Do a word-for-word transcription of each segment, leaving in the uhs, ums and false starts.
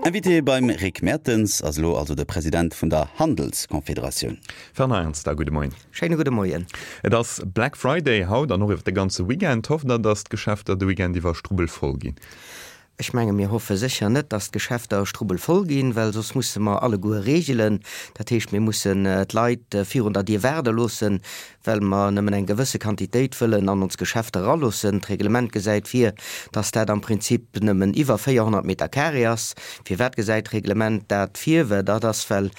Invité beim Rick Mertens ass elo also de President vun der Handelskonfederatioun. Fernand Ernster, gudde Moien. Schéine gudde Moien. Et ass Black Friday haut an och iwwer de ganze Weekend. Hofft Der, datt d'Geschäfter de Weekend iwwer strubbelvoll ginn? Ech menge mir hoffe sécher net, datt d'Geschäfter strubbelvoll ginn, well soss musse mer alleguer reegelen. Dat heescht, mir mussen d'Leit virun der Dier waarde loossen, well mer nëmmen eng gewësse Quantitéit wëllen an ons Geschäfter eraloossen. D'Reglement gesäit vir, dass dat am Prinzip nëmmen iwwer véierhonnert Meter carré ass. Firwat gesäit d'Reglement dat vir? Well dat ass, well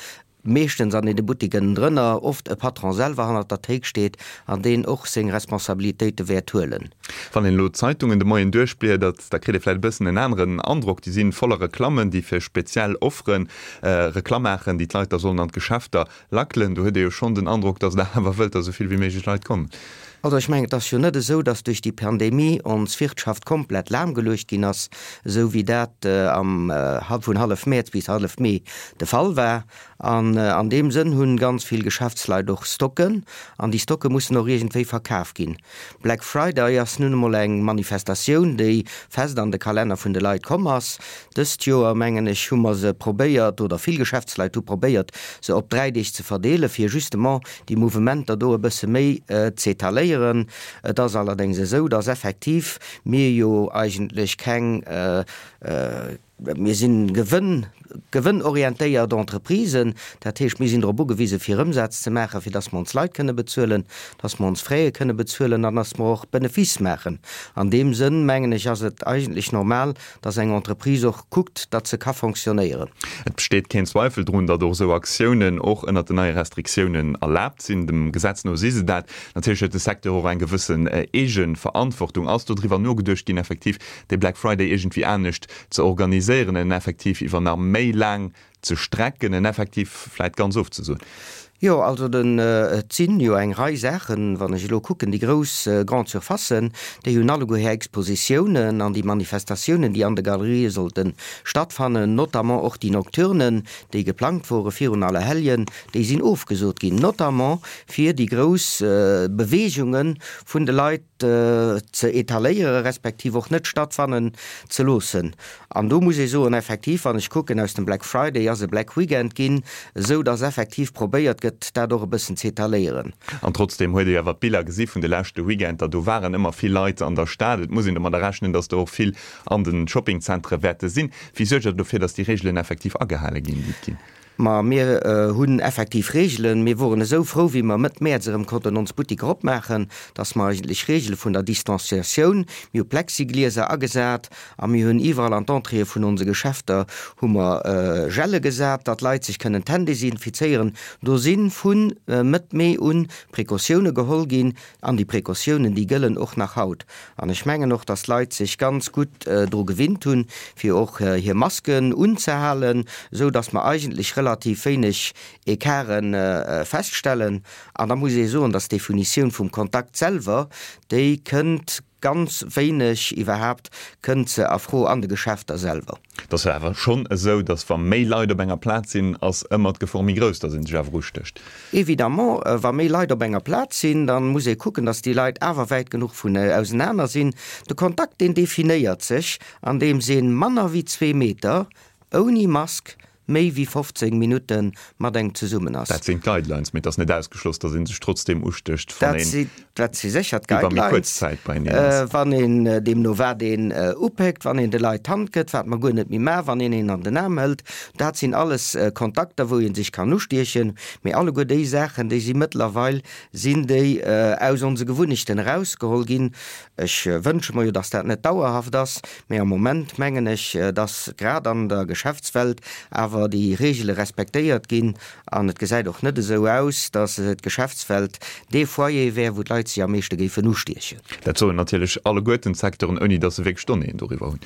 meeschtens an deene Buttiken drënner oft e Patron selwer hannert der Théik steet an deen och seng Responsabilitéite wäert huelen. Wann een elo d'Zeitungen de Moien duerchbliedert, da kritt ee vläicht e bëssen en aneren Androck. Déi si voller Reklammen, déi fir speziell Offere Reklamm maachen, déi d'Leit da sollen an d'Geschäfter lackelen. Do huet ee jo schonn den Androck, datt Der awer wëllt, datt esou vill wéi méiglech Leit kommen. Also ech mengen, et ass jo net esou, datt duerch déi Pandemie ons Wirtschaft komplett lahmgeluecht ginn ass, esou wéi dat am vun hallef Mäerz bis hallef Mee de Fall war. An an deem Sënn hunn ganz vill Geschäftsleit och Stocken, an déi Stocke mussen och iergendwéi verkaf ginn. Black Friday ass nun emol eng Manifestatioun, déi fest an de Kalenner vun de Leit komm ass. Dëst Joer, mengen ech, hu mer se probéiert, oder vill Geschäftsleit hu probéiert, se op dräi Deeg ze verdeelen, fir justement déi Mouvementer do e bësse méi z'étaléieren. Et ass allerdéngs esou, dass effektiv mir jo eigentlech keng, mir si gewënn, gewënnorientéiert Entreprisen, dat heescht, mir sinn drop ugewise fir Ëmsaz ze maachen, fir dass mer ons Leit kënne bezuelen, dass mer ons Fraie kënne bezuelen an dass mer och Benefice maachen. An deem Sënn, mengen ech, ass et eigentlech normal, dass eng Entreprise och kuckt, datt se ka fonctionnéieren. Et besteet keen Zweifel drun, datt och esou Aktiounen och ënnert den neie Restriktiounen erlaabt sinn. Dem Gesetz no si se dat. Natierlech huet de Secteur och eng gewëssen Eegeverantwortung. Ass do driwwer nogeduecht ginn, effektiv dee Black Friday iergendwéi anescht ze organiséieren, en effektiv iwwer nach méi laang ze strecken, en effektiv vläit ganz ofzesoen? Jo, also den, et sinn jo eng Rei Saachen, wann ech elo kucken, déi grouss Grande-surfacen, déi hunn alleguer hir Expositiounen an déi Manifestatiounen, déi an de Galerië sollte stattfannen, notamment och déi Nocturnen, déi geplangt wore virun Allerhelljen, déi sinn ofgesot ginn, notamment fir déi grouss Beweegunge vun de Leit ze etaléiere respektiv och net stattfannen ze loossen. An do muss ee soen, effektiv, wann ech kucken, aus dem Black Friday ass e Black Weekend ginn, esou datt effektiv probéiert gëtt, dat och e bëssen z'etaléieren. An trotzdeem huet ee awer d'Biller gesi vun de leschte Weekender, do waren ëmmer vill Leit an der Stad. Et muss een domadder rechnen, datt der och vill an de Shoppingzentere wäerte sinn. Wéi suergt Der dofir, datt déi Reegelen effektiv agehale ginn, déi et ginn? Ma mir hunn effektiv Reegelen. Mir woren esou frou, wéi mer Mëtt Mäerz erëm konnten ons Buttiker opmaachen, dass mer eigentlech Reegele vun der Distanciatioun, mir hu Plexiglieser agesat a mir hunn iwwerall an d'Entréeë vun onse Geschäfter hu mer Gelle gesat, datt d'Leit sech kënnen d'Hänn desinfizéieren. Do si vu Mëtt Mee u Precautioune geholl ginn an déi Precautiounen, déi gëllen och nach haut. An ech mengen och, dass d'Leit sech ganz gutt dru gewinnt hunn, fir och hir Masken unzehalen, esou dass mer eigentlech relativ wéineg Ecarte feststellen. An da muss ee soen, dass d'Definitioun vum Kontakt selwer, déi kënnt ganz wéineg iwwerhaapt kënnt se a Fro an de Geschäfter selwer. Et ass jo awer schonn esou, datt wa méi Leit op enger Plaz sinn, ass ëmmer d'Gefor méi grouss, datt ee sech awer ustécht. Évidemment, wa méi Leit op enger Plaz sinn, da muss ee kucken, datt déi Leit awer wäit genuch vun ausenaner sinn. De Kontakt, deen definéiert sech, andeems ee manner wéi zwee Meter ouni Mask méi wéi fofzéng Minutte mat engem zesummen ass. Dat sinn d'Guidelines, mee et ass net ausgeschloss, datt ee sech trotzdeem ustécht, wann een Dat si sécher iwwer méi kuerz d'Guidelines. Zäit beieneen ass. Wann een, deemno wat een upéckt, wann een de Leit d'Hand gëtt, wat mer guer net méi maachen, wann een een an den Aarm hëlt, dat sinn alles Kontakter, wou ee sech kann ustiechen. Mee alleguer déi Saachen, déi si mëttlerweil sinn déi aus onse Gewunnechten erausgeholl ginn. Ech wënsche mer jo, dass dat net dauerhaft ass, mee am Moment mengen ech, dass grad an der Geschäftswelt awer déi Regele respektéiert ginn an et gesäit och net esou aus, dass d'Geschäftswelt dee Foyer wär, wou d'Leit sech am meeschte géifen ustiechen. Dat soen natierlech alleguerten d'Secteuren, ouni dass se wierklech Donnéeën doriwwer hunn.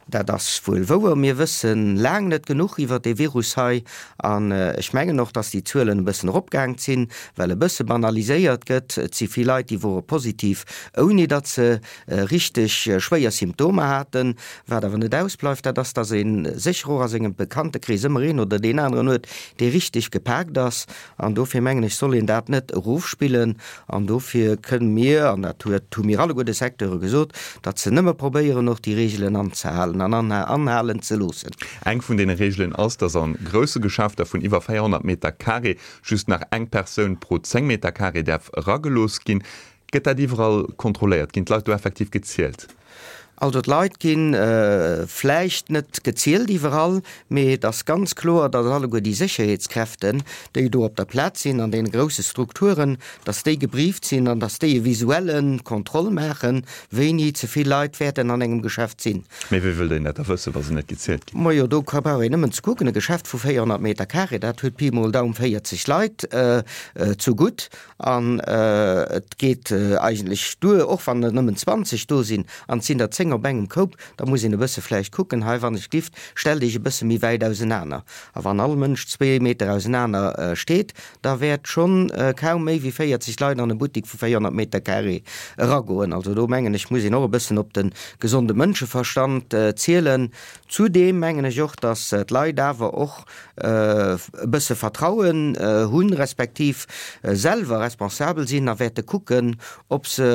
Dat ass wuel wouer. Mir wësse laang net genuch iwwert dee Virus hei. An ech mengen och, dass déi Zuelen e bëssen eropgaang sinn, well e bësse banaliséiert gëtt. Et si vill Leit, déi wore positiv, ouni datt se richteg schwéier Symptomer haten. Wat awer net ausbleift, dat ass, dass ee sécher och a sengem Bekanntekrees ëmmer een oder deen aneren huet, dee richteg gepaakt ass. An dofir mengen ech, soll een dat net erofspillen. An dofir kënne mir, an dat huet, hu mir alleguer de Secteure gesot, datt se nëmme probéieren, och déi Reegelen anzehalen. anzehalen an anhalen ze loossen. Eng vun deene Reegelen ass, dass a grousse Geschäfter vun iwwer véierhonnert Meter carré just nach eng Persoun pro zéng Meter carré däerf eragelooss ginn. Gëtt dat iwwerall kontrolléiert? Ginn d'Leit do effektiv gezielt? Also d'Leit gi vläicht net gezielt iwwerall, mee et ass ganz kloer, datt alleguer déi Sécherheetskräften, déi do op der Plaz sinn an deene grousse Strukturen, datt déi gebrieft sinn an datt déi e visuelle Kontroll maachen, wéini ze vill Leit wäerten an engem Geschäft sinn. Mee wéi wëllt een dat da wëssen, wa se net gezielt ginn? Majo, do brauch een nëmmen ze kucken, e Geschäft vu véierhonnert Meter carré, dat huet Pi mol Daum véierzeg Leit zu gutt. An et geet eigentlech duer, och wann der nëmmen zwanzeg do sinn an et sinn der zéng op engem Koup, da muss een e bësse vläicht kucken, hei wann ech gift, stellt Iech e bësse méi wäit ausenaner. A wann all Mënsch zwee Meter ausenaner steet, da wäert schonn kaum méi wéi véierzeg Leit an e Buttik vu véierhonnert Meter carré eragoen. Also do mengen ech, muss een och e bëssen op de gesonde Mënscheverstand zielen. Zudeem mengen ech och, datt d'Leit awer och e bësse Vertrauen hunn, respektiv selwer responsabel sinn a wäerte kucken, ob se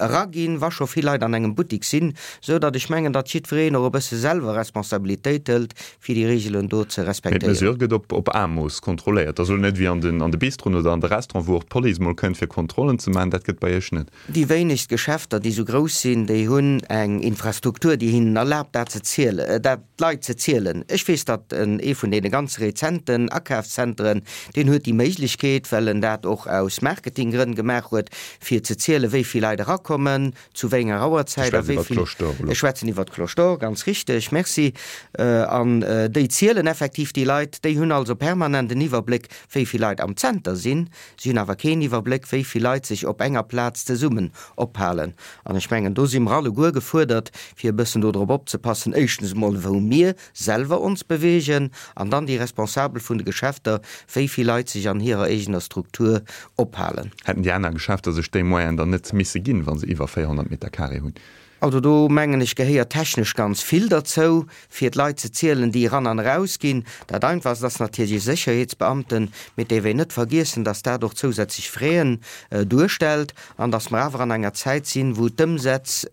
eraginn, wa scho vill Leit an engem Buttik sinn, sou datt ech mengen, datt jiddwereen och e bësse selwer Responsabilitéit hëlt, fir déi Reegelen do ze Mee respektéieren. d'Mesure gëtt op op Aemooss kontrolléiert, also net wéi an den an de Bistroen oder an de Restauranten, wou och d'Police mol kënnt fir Kontrollen ze maachen, dat gëtt bei Iech net. Déi wéinegst Geschäfter, déi sou grouss sinn, déi hunn eng Infrastruktur, déi hinnen erlaabt, dat ze zielen, dat d'Leit ze zielen. Ech weess, datt en ee vun deene ganz rezenten Akafszenteren, deen huet déi Méiglechkeet, well en dat och aus Marketinggrënn gemaach huet, fir ze zielen, wéi vill Leit erakommen, zu wéi enger Ech Auerzäit a schwätzen wéi iwwer vill. d'Cloche d'Or elo. Ech schwätzen iwwer d'Cloche d'Or, ganz richteg, merci. An déi zielen effektiv déi Leit. Déi hunn also permanent en Iwwerbléck, wéi vill Leit am Zenter sinn. Si hunn awer keen Iwwerbléck, wéi vill Leit sech op enger Plaz zesummen ophalen. An ech mengen, do si mer alleguer gefuerdert, fir e bëssen dodrop opzepassen, éischtens emol, wou mir selwer ons bewegen, an dann déi Responsabel vun de Geschäfter, wéi vill Leit sech an hirer eegener Struktur ophalen. Hätten déi aner Geschäfter sech déi Moyenen dann net misse ginn, wa se iwwer véierhonnert Meter carré hunn? Also do mengen ech gehéiert technesch ganz vill derzou, fir d'Leit ze zielen, déi eran an eraus ginn. Dat Einfachst ass natierlech e Sécherheetsbeamten, mee et däerf een net vergiessen, dass dat och zousätzlech Fräen duerstellt an dass mer awer an enger Zäit sinn, wou d'Ëmsätz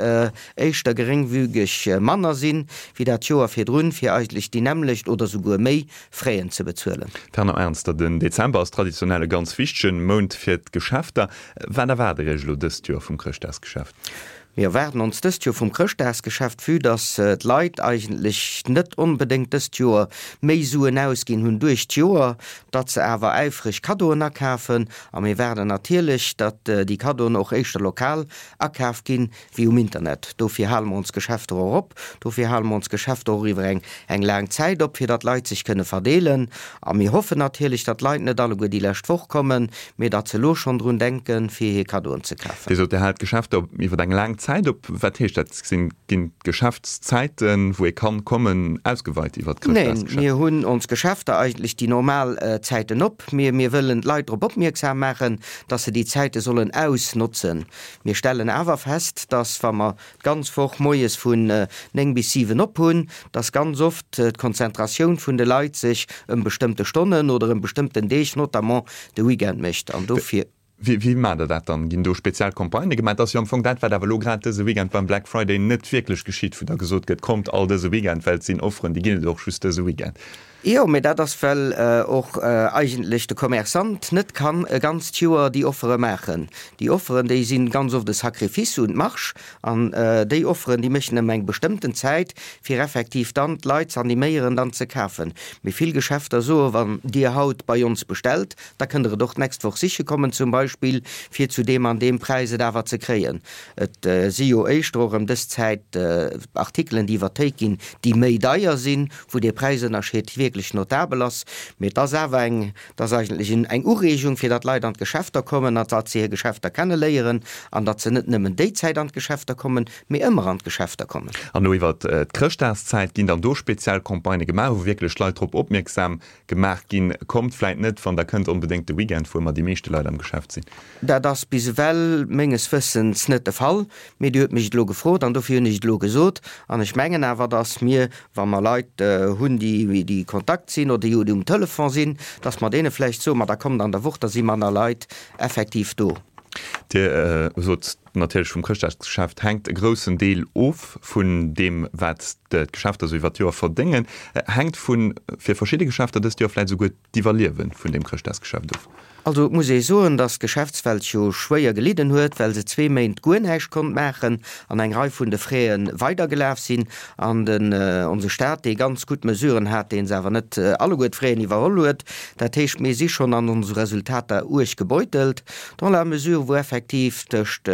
éischter geréngfügeg manner sinn, wéi dat Joer virdrun, fir eigentlech déi nämmlecht oder souguer méi Fräen ze bezuelen. Fernand Ernster, Den Dezember ass traditionell e ganz wichtege Mount fir d'Geschäfter. Wat erwaart Dir Iech elo dëst Joer vum Chrëschtdagsgeschäft? Mir erwaarden ons dëst Joer vum Chrëschtdagsgeschäft, vue dass d'Leit eigentlech net onbedéngt dëst Joer méi Suen ausginn hunn duerch d'Joer, datt se awer äifreg Kaddoen akafen. A mir waarden natierlech, datt déi Kaddoen och éischter lokal akaf ginn, wéi um Internet. Dofir hale mer ons Geschäfter och op. Dofir hale mer ons Geschäfter och iwwer eng eng laang Zäit op, fir datt d'Leit sech kënne verdeelen. A mir hoffen natierlech, datt d'Leit net alleguer déi lescht Woch kommen, mee datt se elo schonn drun denken, fir hir Kaddoen ze kafen. Dir sot, Dir haalt d'Geschäfter op iwwer eng laang Zäit op. Wat heescht dat? Sinn, ginn d'Geschäftszäiten, wou ee kann kommen, ausgeweit iwwer Neen, d'Chrëschtdagsgeschäft? mir hunn ons Geschäfter eigentlech déi normal Zäiten op. Mir, mir wëllen d'Leit drop opmierksam maachen, datt se déi Zäite sollen ausnotzen. Mir stellen awer fest, dass, wa mer d'ganz Woch moies vun néng bis siwen op hunn, dass ganz oft d'Konzentratioun vun de Leit sech ëm bestëmmte Stonnen oder ëm bestëmmten Deeg, notamment de Weekend, mécht. An dofir. Wéi, wéi maacht Der dat dann? Ginn do speziell Campagnë gemaach? Dat ass jo am Fong dat, wat awer elo grad dëse Weekend beim Black Friday net wierklech geschitt, wou da gesot gëtt, Kommt all dëse Weekend, well et sinn Offeren, déi ginn et och just dëse Weekend. Jo, mee dat ass, well och eigentlech de Commerçant net kann e ganzt Joer déi Offere maachen. Déi Offeren, déi si ganz oft e Sacrifice un d'Marge. An déi Offeren, déi mécht en ëm eng bestëmmten Zäit, fir effektiv dann d'Leit z'animéieren, dann ze kafen. Mee vill Geschäfter soen, Wann Dir haut bei ons bestellt, da kënnt Der et och d'nächst Woch siche kommen zum Beispill, fir zu deem an deem Präis et awer ze kréien. Et si jo éischter och ëm dës Zäit Artikelen, déi iwwer d'Théik ginn, déi méi deier sinn, wou dee Präisënnerscheed wierklech notabel ass. Mee et ass awer eng, et ass eigentlech eng Ureegung, fir datt Leit an d'Geschäfter kommen an datt se hir Geschäfter kenneléieren an datt se net nëmmen déi Zäit an d'Geschäfter kommen, mee ëmmer an d'Geschäfter kommen. An elo iwwert d'Chrëschtdagszäit, ginn dann do speziell Campagnë gemaach, wou wierklech d'Leit drop opmierksam gemaach ginn, kommt vläit net, wann Der kënnt, onbedéngt de Weekend, wou ëmmer déi meeschte Leit am Geschäft sinn? Dat ass bis ewell menges Wëssens net de Fall. Mee Dir hutt mech et elo gefrot an dofir hunn ech et elo gesot. An ech mengen awer, datt mir, wa mer Leit hunn, déi déi Kontakt sinn oder déi um Telefon sinn, datt mer deene vläicht soen, ma da kommt an der Woch, da si manner Leit effektiv do. Dir sot, Natierlech vum Chrëschtdagsgeschäft hänkt e groussen Deel of vun deem, wat d'Geschäfter esou iwwer d'Joer verdéngen. Hänkt vu fir verschidde Geschäfter dëst Joer vläicht esouguer d'Iwwerliewe vun deem Chrëschtdagsgeschäft of. Also et muss ee soen, datt d'Geschäftswelt jo schwéier gelidden huet, well se zwee Méint guer näischt konnt maachen an eng Rei vun de Fräe weidergelaf sinn an den onse Staat, dee ganz gutt Mesuren hat, dee se awer net alleguer d'Fraien iwwerholl huet. Dat heescht, mir si schonn an onse Resultater uerg gebeutelt, dans la mesure wou effektiv tëscht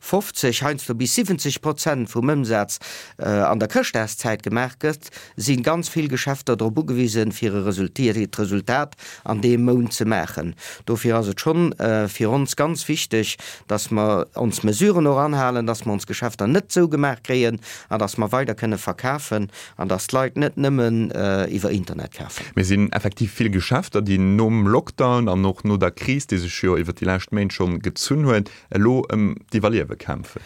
fofzeg, heiansdo bis siwwenzeg Prozent vum Ëmsaz an der Chrëschtdagszäit gemaach gëtt, si ganz vill Geschäfter drop ugewisen, fir e Resultat an deem Mount ze maachen. Dofir ass et schonn fir ons ganz wichteg, dass mer ons Mesuren och anhalen, dass mer ons Geschäfter net zougemaach kréien an dass mer weider kënne verkafen an dass d'Leit net nëmmen iwwer Internet kafen. Mee sinn effektiv vill Geschäfter, déi nom Lockdown an och no der Kris, déi sech jo iwwer déi lescht Méint schonn gezunn huet, elo ëm d'Iwwerliewe kämpfen.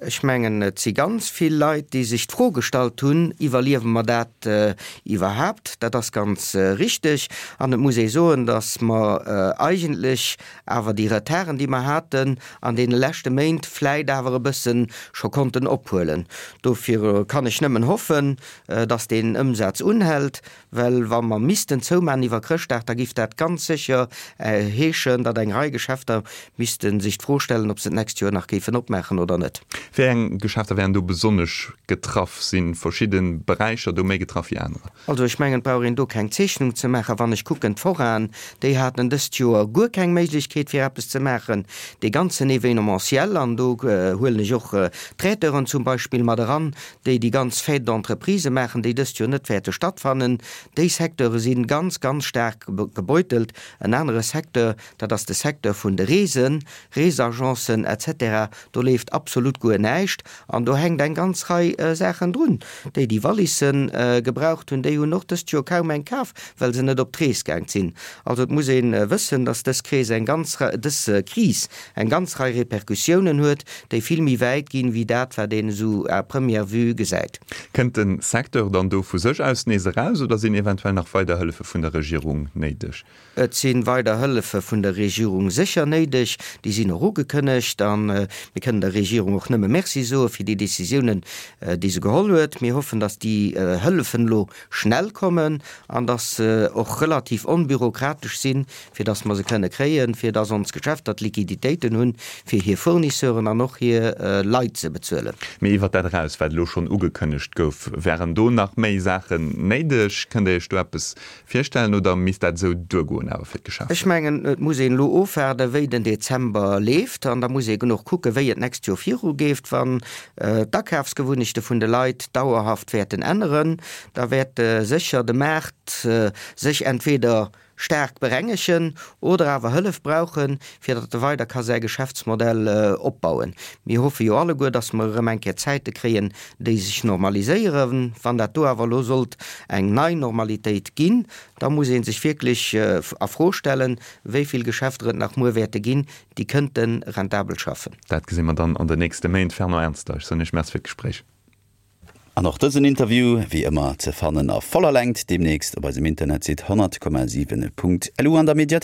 Ech mengen, et si ganz vill Leit, déi sech d'Fro gestallt hunn, Iwwerliewe mer dat iwwerhaapt? Dat ass ganz richteg. An et muss ee soen, datt mer eigentlech awer déi Retarden, déi mer haten an deene leschte Méint, vläit awer e bësse scho konnten ophuelen. Dofir kann ech nëmmen hoffen, datt deen Ëmsaz unhält, well wa mer missten zoumaachen iwwer Chrëschtdag, da giff dat ganz sécher heeschen, datt eng Rei Geschäfter misste sech d'Fro stellen, ob se d'nächst Joer nach géifen opmaachen oder net. Wéi eng Geschäfter wären do besonnesch getraff? Si verschidde Beräicher do méi getraff wéi anerer? Also ech mengen, et brauch een do keng Zeechnung ze maachen. Wann ech kucken, d'Foraen, déi haten dëst Joer guer keng Méiglechkeet fir eppes ze maachen. Dee ganzen Événementiel, an do huelen ech och d'Traiteuren zum Beispill mat eran, déi déi ganz Fêtes d'entreprise maachen, déi dëst Joer net wäerte stattfannen, déi Secteure si ganz, ganz staark gebeutelt. En anere Secteur, dat ass de Secteur vun de Reesen, Reesagencen et cetera, do leeft absolut guer näischt an do hänkt eng ganz Rei Saachen drun. Déi, déi Wallisse gebraucht hunn, déi hunn och dëst Joer kaum eng kaf, well se net op d'Rees gaang sinn. Also et muss ee wëssen, datt dës Kris eng ganz Rei, dës Kris eng ganz Rei Repercussiounen huet, déi vill méi wäit ginn, wéi dat, wat een esou à première vue gesäit. Kënnt de Secteur dann do vu sech aus nees eraus oder sinn eventuell nach weider Hëllefe vun der Regierung néideg? Et si weider Hëllefe vun der Regierung sécher néideg. Déi sinn och ugekënnegt a mir kënnen der Regierung och nëmme Merci soe fir déi Décisiounen, déi se geholl huet. Mir hoffen, datt déi Hëllefen elo schnell kommen an datt se och relativ onbürokratesch sinn, fir datt mer se kënne kréien, fir datt ons Geschäfter d'Liquiditéiten hunn, fir hir Fournisseuren an och hir Leit ze bezuelen. Mee iwwert dat eraus, wat elo schonn ugekënnegt gouf, wären do nach méi Saachen néideg? Kënnt Der Iech do eppes virstellen oder misst dat esou duergoen awer fir d'Geschäfter? Ech mengen, et muss een elo ofwaarden, wéi den Dezember leeft an da muss een och kucken, wéi et d'nächst Joer virugeeft. Wann d'Akafsgewunnechte vun de Leit dauerhaft wäerten änneren, da wäert sécher de Maart sech entweder staark berengegen oder awer Hëllef brauchen, fir datt e weider ka säi Geschäftsmodell opbauen. Mir hoffe jo alleguer, datt mer erëm eng Kéier Zäite kréien, déi sech normaliséieren. Wann dat do awer elo sollt eng nei Normalitéit ginn, da muss ee sech wierklech a Fro stellen, wéi vill Geschäfter et nach muer wäerte ginn, déi kënnte rentabel schaffen. Dat gesi mer dann an den nächste Méint. Fernand Ernster, ech soen Iech Merci fir d'Gespréich. An och dësen Interview wéi ëmmer ze fannen a voller Längt deemnächst op eisem Internetsite honnert Komma siwen Punkt lu an der Mediathéik.